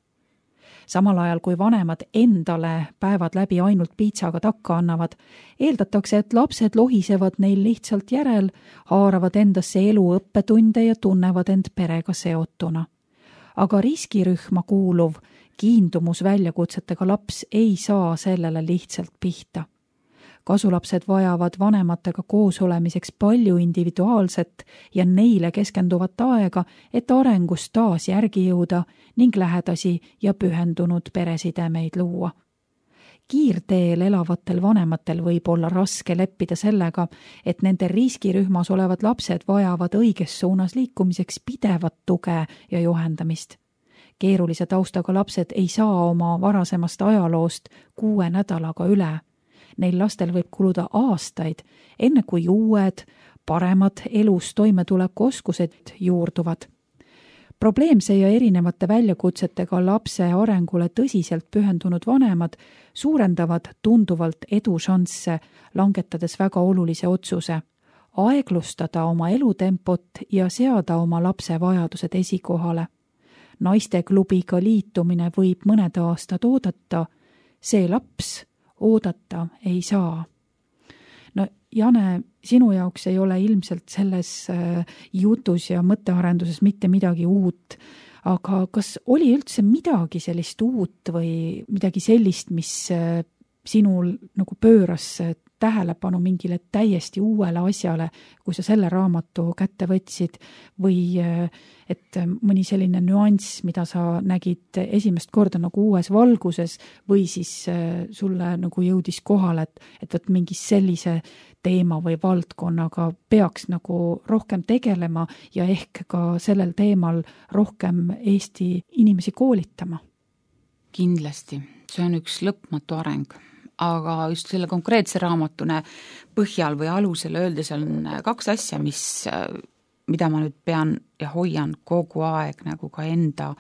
Samal ajal, kui vanemad endale päevad läbi ainult piitsaga takka annavad, eeldatakse, et lapsed lohisevad neil lihtsalt järel, haaravad endasse elu õppetunde ja tunnevad end perega seotuna. Aga riskirühma kuuluv, kiindumus väljakutsetega laps ei saa sellele lihtsalt pihta. Kasulapsed vajavad vanematega koos olemiseks palju individuaalset ja neile keskenduvat aega, et arengus taas järgi jõuda ning lähedasi ja pühendunud peresidemeid luua. Kiirteel elavatel vanematel võib olla raske leppida sellega, et nende riskirühmas olevad lapsed vajavad õiges suunas liikumiseks pidevat tuge ja juhendamist. Keerulise taustaga lapsed ei saa oma varasemast ajaloost 6 nädalaga üle. Neil lastel võib kuluda aastaid, enne kui uued, paremad elus toimetuleku oskused juurduvad. Probleemse ja erinevate väljakutsetega lapse arengule tõsiselt pühendunud vanemad suurendavad tunduvalt edušansse, langetades väga olulise otsuse. Aeglustada oma elutempot ja seada oma lapse vajadused esikohale. Naisteklubiga liitumine võib mõned aastad oodata, see laps oodata ei saa. No Jane, sinu jaoks ei ole ilmselt selles jutus ja mõttearenduses mitte midagi uut, aga kas oli üldse midagi sellist uut või midagi sellist, mis sinul nagu pööras tähelepanu mingile täiesti uuele asjale, kui sa selle raamatu kätte võtsid või et mõni selline nüanss, mida sa nägid esimest korda nagu uues valguses või siis sulle nagu jõudis kohale, et võt mingi sellise teema või valdkonnaga peaks nagu rohkem tegelema ja ehk ka sellel teemal rohkem Eesti inimesi koolitama? Kindlasti, see on üks lõpmatu areng. Aga just selle konkreetse raamatune põhjal või alusel öeldes on 2 asja, mida ma nüüd pean ja hoian kogu aeg nagu ka enda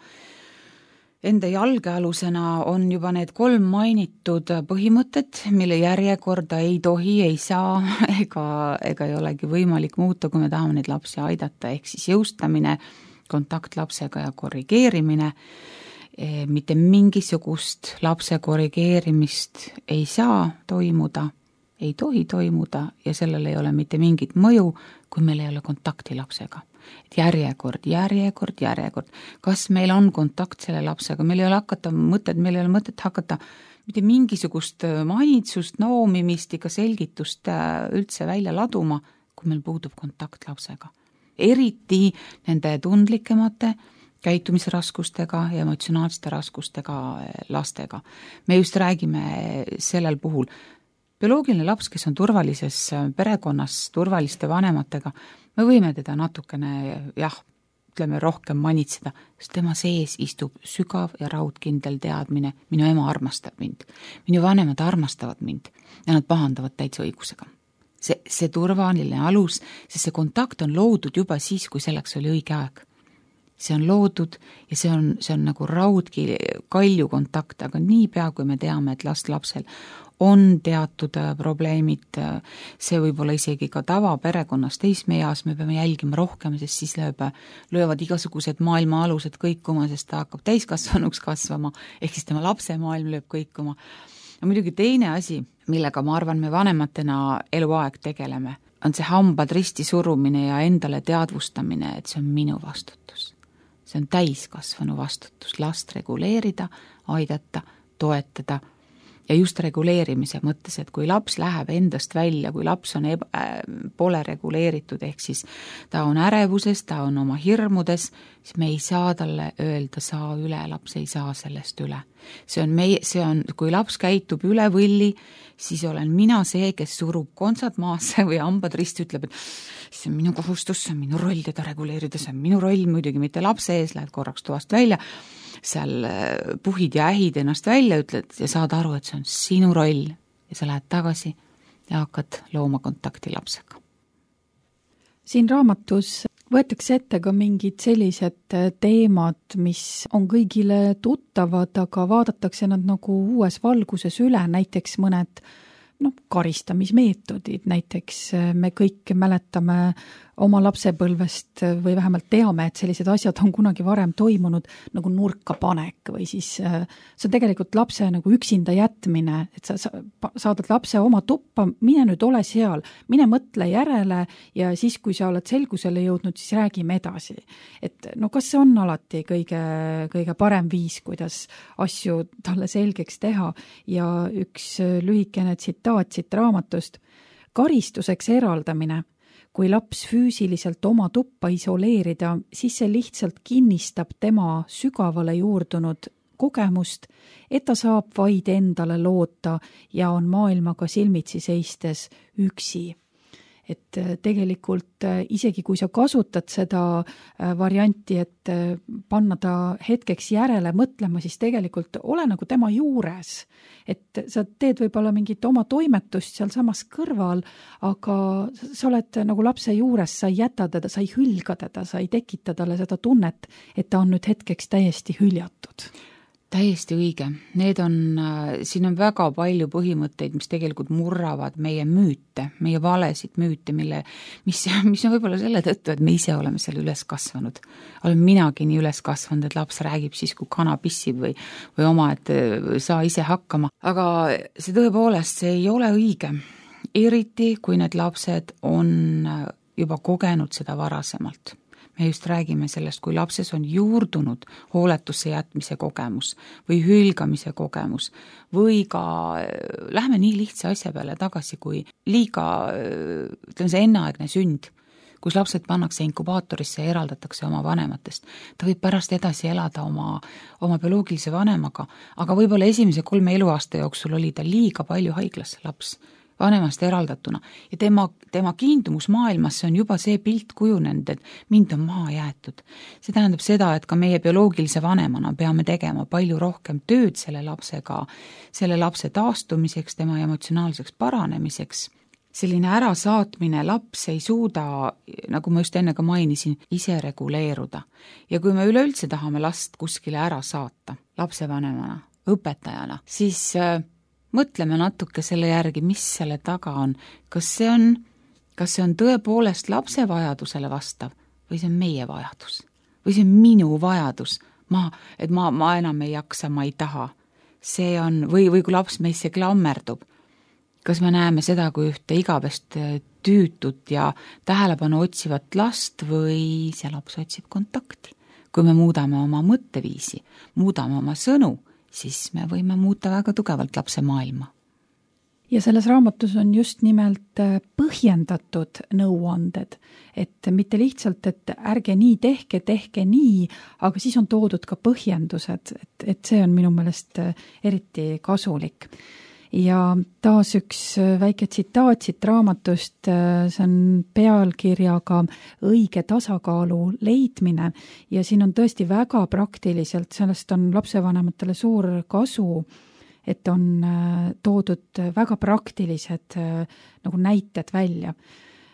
jalgealusena, on juba need 3 mainitud põhimõtted, mille järjekorda ei tohi, ei saa ega ei olegi võimalik muuta, kui me tahame neid lapsi aidata, ehk siis jõustamine, kontakt lapsega ja korrigeerimine. Mitte mingisugust lapse korrigeerimist ei saa toimuda, ei tohi toimuda ja sellel ei ole mitte mingit mõju, kui meil ei ole kontakti lapsega. Et järjekord. Kas meil on kontakt selle lapsega? Meil ei ole mõtet hakata mitte mingisugust manitsust, noomimist ega selgitust üldse välja laduma, kui meil puudub kontakt lapsega. Eriti nende tundlikemate käitumisraskustega ja emotsionaalsete raskustega lastega. Me just räägime sellel puhul. Bioloogiline laps, kes on turvalises perekonnas, turvaliste vanematega, me võime teda natukene, rohkem manitseda, sest tema sees istub sügav ja raudkindel teadmine, minu ema armastab mind, minu vanemad armastavad mind ja nad pahandavad täitsa õigusega. See turvaline alus, sest see kontakt on loodud juba siis, kui selleks oli õige aeg. See on loodud ja see on nagu kalju kontakt, aga niipea, kui me teame, et lapsel on teatud probleemid, see võib olla isegi ka tavaperekonnas teismeeas, me peame jälgima rohkem, sest siis löövad igasugused maailma alused kõikuma, sest ta hakkab täiskasvanuks kasvama, ehk siis tema lapse maailm lööb kõikuma. Ja muidugi teine asi, millega ma arvan, me vanematena eluaeg tegeleme, on see hambad risti surumine ja endale teadvustamine, et see on minu vastutus. See on täiskasvanu vastutus, last reguleerida, aidata, toetada ja just reguleerimise mõttes, et kui laps läheb endast välja, kui laps on pole reguleeritud, ehk siis ta on ärevuses, ta on oma hirmudes, siis me ei saa talle öelda, saa üle, laps ei saa sellest üle. See on, kui laps käitub üle võlli, siis olen mina see, kes surub kontsad maasse või hambad risti, ütleb, et see on minu kohustus, see on minu roll teda reguleerida, see on minu roll, muidugi mitte lapse ees, lähed korraks toast välja, seal puhid ja ähid ennast välja, ütled ja saad aru, et see on sinu roll ja sa lähed tagasi ja hakkad looma kontakti lapsega. Siin raamatus võetakse ette ka mingid sellised teemad, mis on kõigile tuttavad, aga vaadatakse nad nagu uues valguses üle, näiteks mõned karistamismeetodid, näiteks me kõik mäletame oma lapsepõlvest või vähemalt teame, et sellised asjad on kunagi varem toimunud, nagu nurka panek või siis see on tegelikult lapse nagu üksinda jätmine, et sa saadad lapse oma tuppa, mine nüüd ole seal, mine mõtle järele ja siis, kui sa oled selgusele jõudnud, siis räägime edasi. Et kas see on alati kõige parem viis, kuidas asju talle selgeks teha ja üks lühikene tsitaat siit raamatust, karistuseks eraldamine. Kui laps füüsiliselt oma tuppa isoleerida, siis see lihtsalt kinnistab tema sügavale juurdunud kogemust, et ta saab vaid endale loota ja on maailmaga silmitsi seistes üksi. Et tegelikult isegi kui sa kasutad seda varianti, et panna ta hetkeks järele mõtlema, siis tegelikult ole nagu tema juures. Et sa teed võib-olla mingit oma toimetust seal samas kõrval, aga sa oled nagu lapse juures, sa ei jäta teda, sa ei hülga teda, sa ei tekita talle seda tunnet, et ta on nüüd hetkeks täiesti hüljatud. Täiesti õige. Siin on väga palju põhimõtteid, mis tegelikult murravad meie müüte, meie valesid müüte, mis on võib-olla selle tõttu, et me ise oleme seal üles kasvanud. Olen minagi nii üles kasvanud, et laps räägib siis, kui kana pissib või oma, et saa ise hakkama. Aga see tõepoolest, see ei ole õige. Eriti, kui need lapsed on juba kogenud seda varasemalt. Me just räägime sellest, kui lapses on juurdunud hooletusse jätmise kogemus või hülgamise kogemus või ka lähme nii lihtsa asja peale tagasi, kui liiga, ütleme see enneaegne sünd, kus lapsed pannakse inkubaatorisse ja eraldatakse oma vanematest. Ta võib pärast edasi elada oma bioloogilise vanemaga, aga võib-olla esimese 3 eluaasta jooksul oli ta liiga palju haiglas laps, vanemast eraldatuna ja tema kiindumus maailmasse on juba see pilt kujunenud, et mind on maha jäetud. See tähendab seda, et ka meie bioloogilise vanemana peame tegema palju rohkem tööd selle lapsega, selle lapse taastumiseks, tema emotsionaalseks paranemiseks. Selline ärasaatmine laps ei suuda, nagu ma just enne ka mainisin, ise reguleeruda. Ja kui me üleüldse tahame last kuskile ära saata, lapsevanemana, õpetajana, siis mõtleme natuke selle järgi, mis selle taga on. Kas see on tõepoolest lapse vajadusele vastav või see on meie vajadus? Või see on minu vajadus? Et ma enam ei jaksa, ma ei taha. See on, või kui laps meisse klammerdub, kas me näeme seda, kui ühte igavest tüütut ja tähelepanu otsivat last või see laps otsib kontakti? Kui me muudame oma mõtteviisi, muudame oma sõnu, siis me võime muuta väga tugevalt lapse maailma. Ja selles raamatus on just nimelt põhjendatud nõuanded, et mitte lihtsalt, et ärge nii tehke nii, aga siis on toodud ka põhjendused, et see on minu meelest eriti kasulik. Ja taas üks väike tsitaat siit raamatust, see on pealkirjaga õige tasakaalu leidmine ja siin on tõesti väga praktiliselt, sellest on lapsevanematele suur kasu, et on toodud väga praktilised nagu näited välja.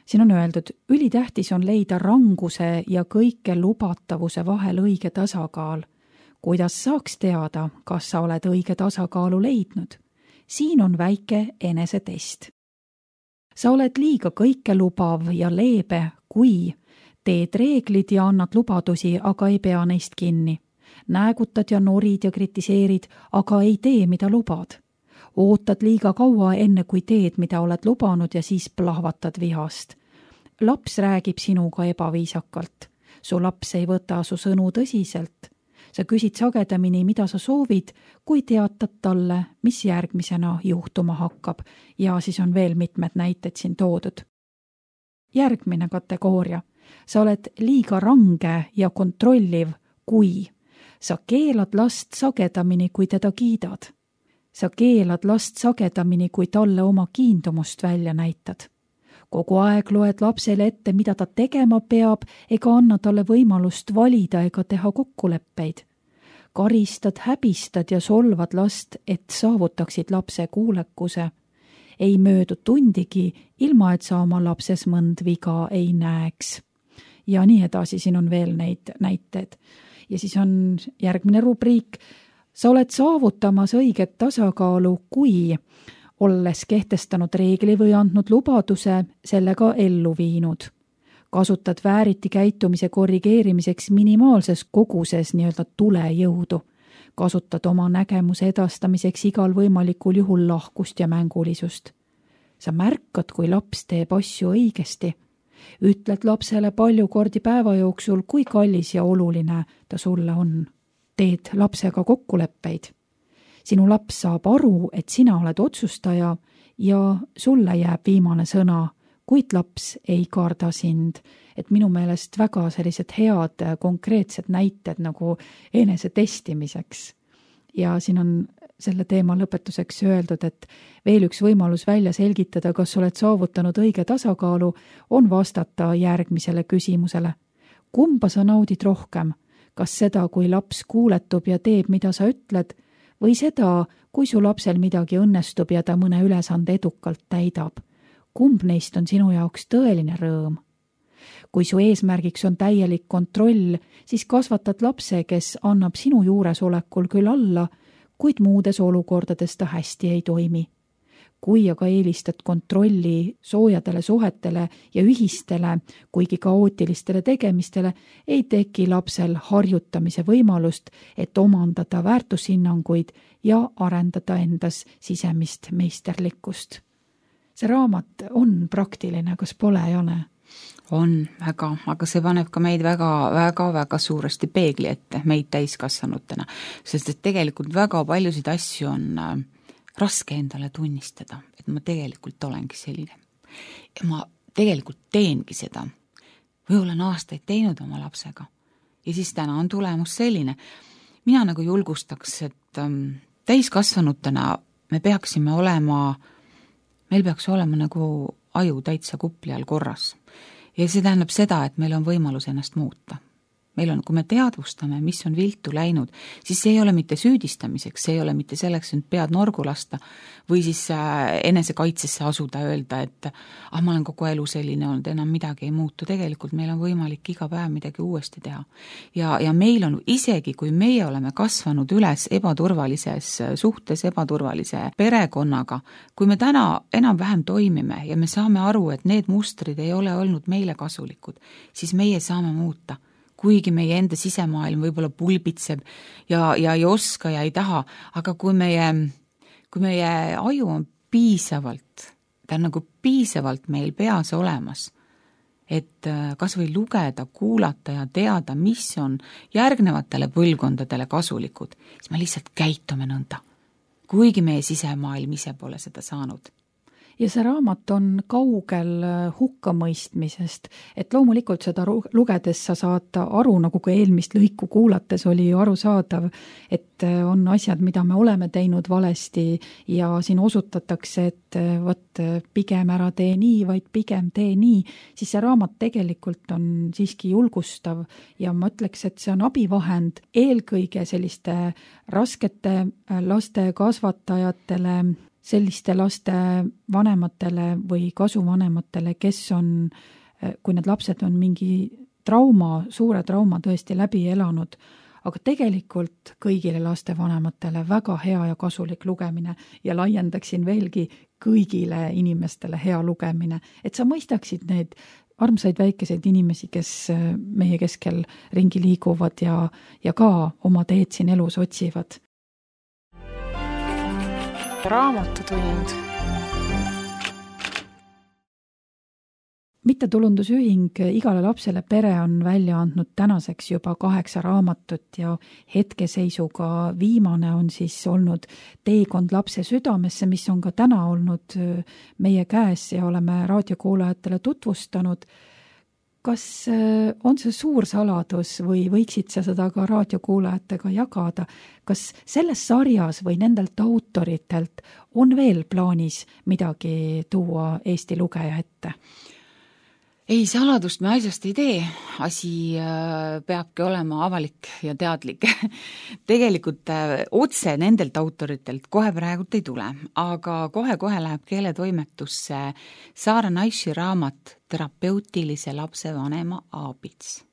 Siin on öeldud, ülitähtis on leida ranguse ja kõike lubatavuse vahel õige tasakaal. Kuidas saaks teada, kas sa oled õige tasakaalu leidnud? Siin on väike enesetest. Sa oled liiga kõike lubav ja leebe, kui teed reeglid ja annad lubadusi, aga ei pea neist kinni. Näägutad ja norid ja kritiseerid, aga ei tee, mida lubad. ootad liiga kaua, enne kui teed, mida oled lubanud ja siis plahvatad vihast. Laps räägib sinuga ebaviisakalt. Su laps ei võta su sõnu tõsiselt. Sa küsid sagedamini, mida sa soovid, kui teatad talle, mis järgmisena juhtuma hakkab ja siis on veel mitmed näited siin toodud. Järgmine kategooria. Sa oled liiga range ja kontrolliv, kui sa keelad last sagedamini, kui teda kiidad. Sa keelad last sagedamini, kui talle oma kiindumust välja näitad. Kogu aeg loed lapsele ette, mida ta tegema peab, ega anna talle võimalust valida ega teha kokkuleppeid. Karistad, häbistad ja solvad last, et saavutaksid lapse kuulekuse. Ei möödu tundigi, ilma et sa oma lapses mõnd viga ei näeks. Ja nii edasi, siin on veel neid näited. Ja siis on järgmine rubriik. Sa oled saavutamas õiget tasakaalu, kui olles kehtestanud reegli või andnud lubaduse, sellega ellu viinud. Kasutad vääriti käitumise korrigeerimiseks minimaalses koguses nii-öelda tulejõudu. Kasutad oma nägemuse edastamiseks igal võimalikul juhul lahkust ja mängulisust. Sa märkad, kui laps teeb asju õigesti. Ütled lapsele palju kordi päeva jooksul, kui kallis ja oluline ta sulle on. Teed lapsega kokkuleppeid. Sinu laps saab aru, et sina oled otsustaja ja sulle jääb viimane sõna, kuid laps ei karda sind. Et minu meelest väga sellised head konkreetsed näited nagu enese testimiseks. Ja siin on selle teema lõpetuseks öeldud, et veel üks võimalus välja selgitada, kas oled saavutanud õige tasakaalu, on vastata järgmisele küsimusele. Kumba sa naudid rohkem? Kas seda, kui laps kuuletub ja teeb, mida sa ütled, või seda, kui su lapsel midagi õnnestub ja ta mõne ülesande edukalt täidab? Kumb neist on sinu jaoks tõeline rõõm? Kui su eesmärgiks on täielik kontroll, siis kasvatad lapse, kes annab sinu juuresolekul küll alla, kuid muudes olukordades ta hästi ei toimi. Kui aga eelistad kontrolli soojadele suhetele ja ühistele, kuigi kaootilistele tegemistele, ei teki lapsel harjutamise võimalust, et omandada väärtushinnanguid ja arendada endas sisemist meisterlikkust. See raamat on praktiline, kas pole, Jane? On väga, aga see paneb ka meid väga suuresti peegli ette, meid täiskasvanutena, sest et tegelikult väga paljusid asju on raske endale tunnistada, et ma tegelikult olengi selline. Ja ma tegelikult teengi seda. Või olen aastaid teinud oma lapsega. Ja siis täna on tulemus selline. Mina nagu julgustaks, et täiskasvanutena meil peaks olema nagu aju täitsa kupli all korras. Ja see tähendab seda, et meil on võimalus ennast muuta. Meil on, kui me teadvustame, mis on viltu läinud, siis see ei ole mitte süüdistamiseks, see ei ole mitte selleks, et pead norgu lasta või siis enesekaitsesse asuda öelda, et ma olen kogu elu selline olnud, enam midagi ei muutu. Tegelikult meil on võimalik iga päev midagi uuesti teha. Ja meil on isegi, kui meie oleme kasvanud üles ebaturvalises suhtes, ebaturvalise perekonnaga, kui me täna enam-vähem toimime ja me saame aru, et need mustrid ei ole olnud meile kasulikud, siis meie saame muuta. Kuigi meie enda sisemaailm võib-olla pulbitseb ja ei oska ja ei taha, aga kui meie aju on piisavalt, ta on nagu piisavalt meil peas olemas, et kas või lugeda, kuulata ja teada, mis on järgnevatele põlvkondadele kasulikud, siis me lihtsalt käitume nõnda, kuigi meie sisemaailm ise pole seda saanud. Ja see raamat on kaugel hukkamõistmisest, et loomulikult seda lugedes sa saad aru, nagu ka eelmist lõiku kuulates oli ju arusaadav, et on asjad, mida me oleme teinud valesti ja siin osutatakse, et võt pigem ära tee nii, vaid pigem tee nii, siis see raamat tegelikult on siiski julgustav ja ma ütleks, et see on abivahend eelkõige selliste raskete laste kasvatajatele, selliste laste vanematele või kasuvanematele, kes on, kui need lapsed on mingi suure trauma tõesti läbi elanud, aga tegelikult kõigile lastevanematele väga hea ja kasulik lugemine ja laiendaksin veelgi kõigile inimestele hea lugemine, et sa mõistaksid need armsaid väikeseid inimesi, kes meie keskel ringi liiguvad ja ka oma teed siin elus otsivad. Raamatutund. mittetulundusühing Igale lapsele pere on välja andnud tänaseks juba 8 raamatut ja hetkeseisuga viimane on siis olnud Teekond lapse südamesse, mis on ka täna olnud meie käes ja oleme raadiokuulajatele tutvustanud. Kas on see suur saladus või võiksid sa seda ka raadiokuulajatega jagada? Kas selles sarjas või nendelt autoritelt on veel plaanis midagi tuua Eesti lugeja ette? Ei, saladust me asjast ei tee. Asi peabki olema avalik ja teadlik. Tegelikult otse nendelt autoritelt kohe praegult ei tule, aga kohe läheb keeletoimetusse Saara Naishi raamat Terapeutilise lapsevanema aabits.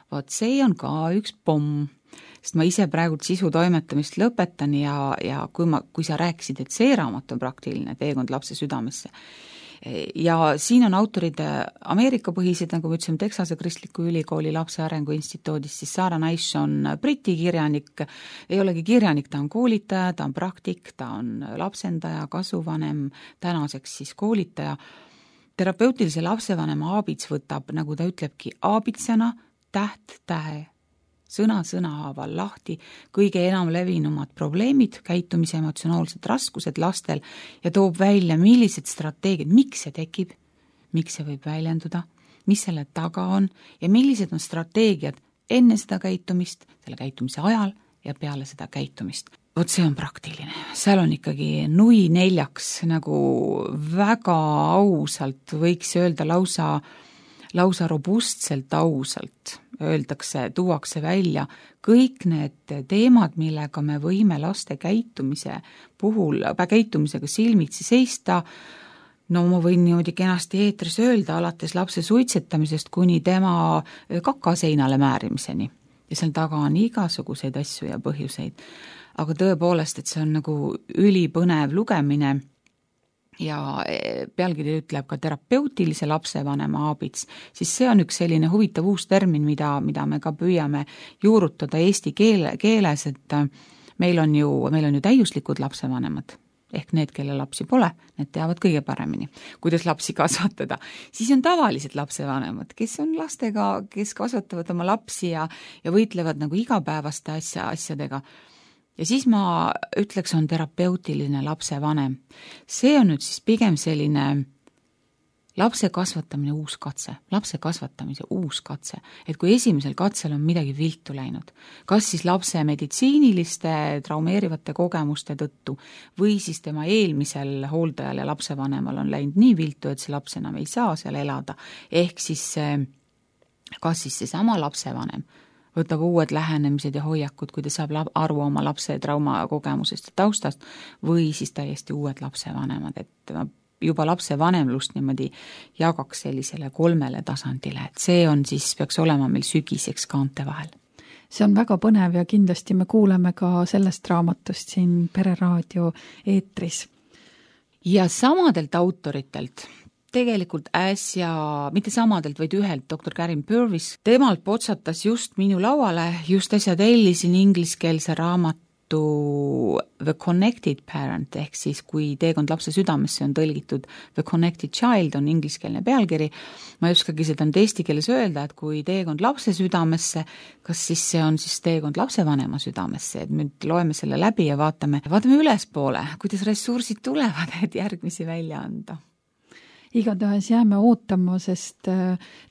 Vaat see on ka üks pomm, sest ma ise praegult sisu toimetamist lõpetan ja kui sa rääkisid, et see raamat on praktiline Teekond lapse südamesse, ja siin on autorid Ameerika põhised, nagu me ütlesime, Texase Kristliku Ülikooli Lapse Arengu Instituudist, siis Saara Naish on Briti kirjanik, ei olegi kirjanik, ta on koolitaja, ta on praktik, ta on lapsendaja, kasuvanem, tänaseks siis koolitaja. Terapeutilise lapsevanema aabits võtab, nagu ta ütlebki, aabitsana täht tähe, sõna haaval lahti kõige enam levinumad probleemid, käitumise emotsionaalsed raskused lastel ja toob välja, millised strateegiad, miks see tekib, miks see võib väljenduda, mis selle taga on ja millised on strateegiad enne seda käitumist, selle käitumise ajal ja peale seda käitumist. Vot see on praktiline. Seal on ikkagi nui neljaks, nagu väga ausalt võiks öelda lausa robustselt ausalt öeldakse, tuuakse välja kõik need teemad, millega me võime laste käitumisega silmitsi seista. No ma võin niimoodi kenasti eetris öelda, alates lapse suitsetamisest kuni tema kakaseinale määrimiseni. Ja seal taga on igasuguseid asju ja põhjuseid. Aga tõepoolest, et see on nagu ülipõnev lugemine, ja pealkiri ütleb ka terapeutilise lapsevanema aabits, siis see on üks selline huvitav uus termin, mida me ka püüame juurutada eesti keeles, et meil on ju täiuslikud lapsevanemad, ehk need, kelle lapsi pole, need teavad kõige paremini, kuidas lapsi kasvatada. Siis on tavalised lapsevanemad, kes on lastega, kes kasvatavad oma lapsi ja võitlevad nagu igapäevaste asjadega. Ja siis ma ütleks, on terapeutiline lapsevanem. See on nüüd siis pigem selline lapse kasvatamise uus katse, et kui esimesel katsel on midagi viltu läinud, kas siis lapse meditsiiniliste traumeerivate kogemuste tõttu või siis tema eelmisel hooldajal ja lapsevanemal on läinud nii viltu, et see laps enam ei saa seal elada, ehk siis kas siis see sama lapsevanem võtab uued lähenemised ja hoiakud, kui ta saab aru oma lapse traumakogemusest ja taustast, või siis täiesti uued lapsevanemad, et juba lapsevanemlust niimoodi jagaks sellisele 3 tasandile, et see on siis, peaks olema meil sügiseks kaante vahel. See on väga põnev ja kindlasti me kuuleme ka sellest raamatust siin Pereraadio eetris. Ja samadelt autoritelt, tegelikult mitte samadelt, vaid ühelt, Dr. Karin Purvis, temalt potsatas just minu lauale, just äsja tellisin ingliskeelse raamatu The Connected Parent, ehk siis kui Teekond lapse südamesse on tõlgitud The Connected Child, on ingliskeelne pealkiri. Ma ei oskagi seda nüüd eesti keeles öelda, et kui Teekond lapse südamesse, kas siis see on siis Teekond lapsevanema südamesse, et nüüd loeme selle läbi ja vaatame ülespoole, kuidas ressursid tulevad, et järgmisi välja anda. Igatahes jääme ootama, sest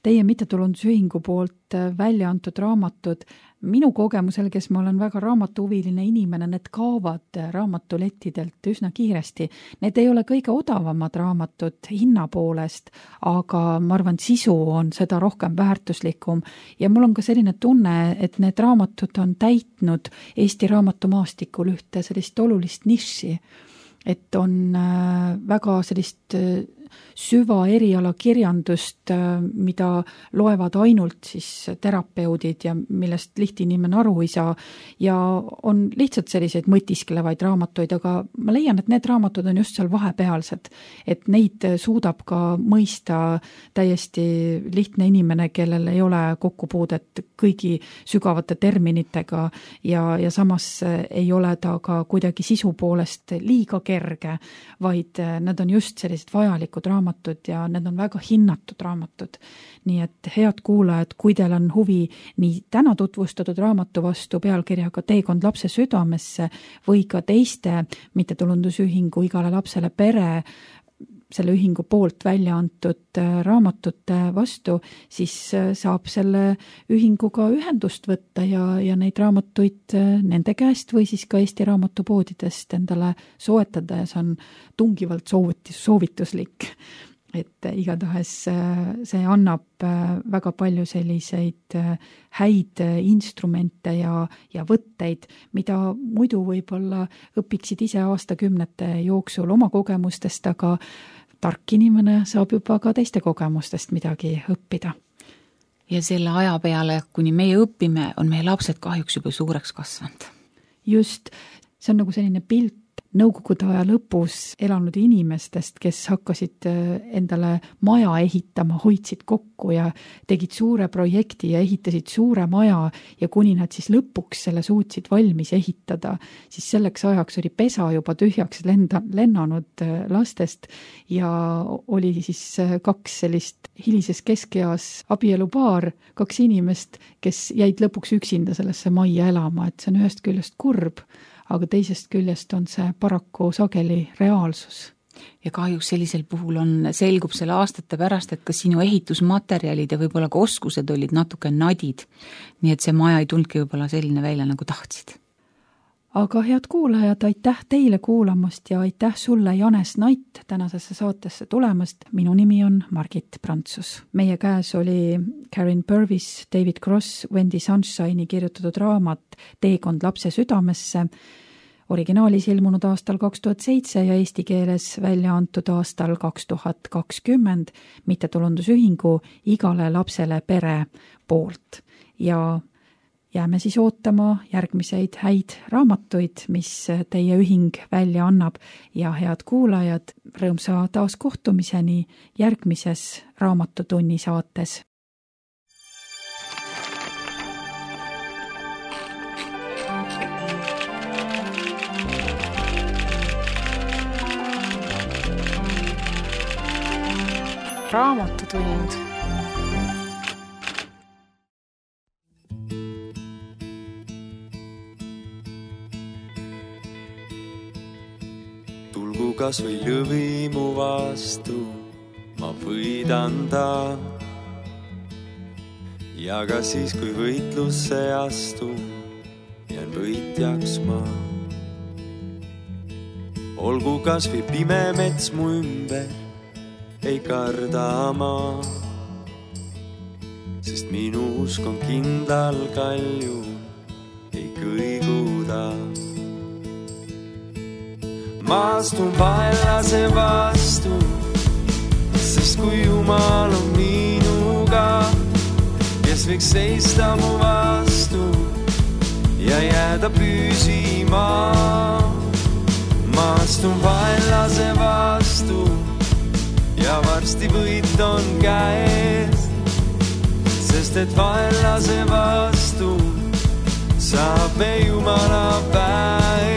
teie mittetulundusühingu poolt välja antud raamatud, minu kogemusel, kes ma olen väga raamatuhuviline inimene, need kaovad raamatulettidelt üsna kiiresti. Need ei ole kõige odavamad raamatud hinna poolest, aga ma arvan, sisu on seda rohkem väärtuslikum ja mul on ka selline tunne, et need raamatud on täitnud Eesti raamatumaastikul ühte sellist olulist niši, et on väga sellist süvaeriala kirjandust, mida loevad ainult siis terapeudid ja millest lihtinimene aru ei saa ja on lihtsalt selliseid mõtisklevaid raamatuid, aga ma leian, et need raamatud on just seal vahepealsed, et neid suudab ka mõista täiesti lihtne inimene, kellel ei ole kokkupuudet kõigi sügavate terminitega ja samas ei ole ta ka kuidagi sisu poolest liiga kerge, vaid need on just sellised vajalikud raamatud ja need on väga hinnatud raamatud. Nii et head kuulajad, kui teil on huvi nii täna tutvustatud raamatu vastu pealkirjaga Teekond lapse südamesse või ka teiste mittetulundusühingu Igale lapsele pere selle ühingu poolt välja antud raamatute vastu, siis saab selle ühinguga ühendust võtta ja neid raamatuid nende käest või siis ka Eesti raamatupoodidest endale soetada ja see on tungivalt soovituslik. Et igatahes see annab väga palju selliseid häid instrumente ja võtteid, mida muidu võib-olla õpiksid ise aastakümnete jooksul oma kogemustest, aga tark inimene saab juba ka teiste kogemustest midagi õppida. Ja selle aja peale, kuni meie õpime, on meie lapsed kahjuks juba suureks kasvanud. Just, see on nagu selline pilt nõukogude aja lõpus elanud inimestest, kes hakkasid endale maja ehitama, hoidsid kokku ja tegid suure projekti ja ehitasid suure maja ja kuni nad siis lõpuks selle suutsid valmis ehitada, siis selleks ajaks oli pesa juba tühjaks lennanud lastest ja oli siis 2 sellist hilises keskeas abielupaar, 2 inimest, kes jäid lõpuks üksinda sellesse majja elama, et see on ühest küljest kurb, aga teisest küljest on see paraku sageli reaalsus. Ja kahjuks sellisel puhul selgub selle aastate pärast, et kas sinu ehitusmaterjalid ja võib-olla ka oskused olid natuke nadid, nii et see maja ei tulnudki võib-olla selline välja, nagu tahtsid. Aga head kuulajad, aitäh teile kuulamast ja aitäh sulle, Janes Nait, tänasesse saatesse tulemast. Minu nimi on Margit Prantsus. Meie käes oli Karen Purvis, David Cross, Wendy Sunshine'i kirjutatud raamat Teekond lapse südamesse, originaalis ilmunud aastal 2007 ja eesti keeles välja antud aastal 2020 mittetulundusühingu Igale lapsele pere poolt. Ja jääme siis ootama järgmiseid häid raamatuid, mis teie ühing välja annab ja head kuulajad, rõõmsa taas kohtumiseni järgmises Raamatutunni saates. Raamatutund. Tulgu kas või lõvi mu vastu, ma võidan ta. Ja ka siis, kui võitlusse astu, jään võitjaks ma. Olgu kas või pime mets mu ümber, ei karda ma. Sest minu usk on kindlal kalju, ei kõiguda. Ma astun vaellase vastu, sest kui Jumal on minuga, kes võiks seista mu vastu ja jääda püsima. Ma astun vaellase vastu ja varsti võit on käes, sest et vaellase vastu saab me Jumala päev.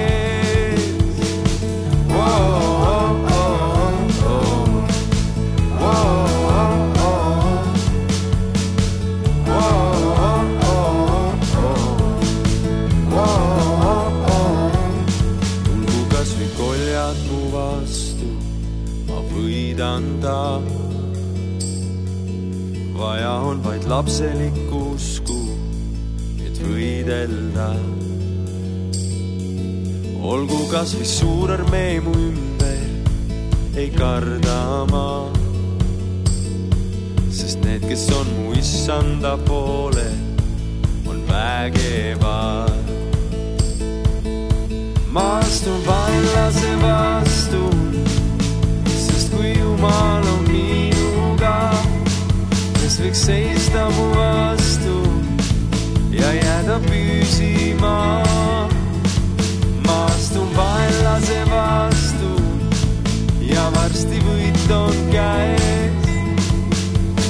Anda. Vaja on vaid lapselikku usku, et võidelda. Olgu kas või suur armee mu ümber, ei karda ma. Sest need, kes on mu issanda poole, on vägevad. Ma astun vaenlase vastu, kui Jumal püsima. Ma astun vaenlase vastu ja varsti võit on käes,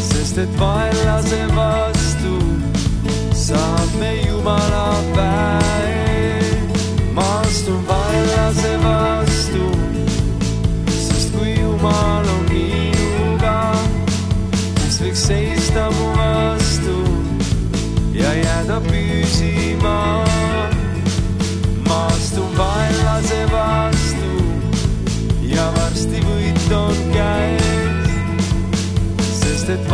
sest et vaenlase vastu saab me Jumala päev. Ma astun vaenlase vastu, sest kui Jumal on minuga, kes võiks seista mu vastu ja jääda püsima. Ma astun vaenlase vastu ja varsti võit on käes, sest et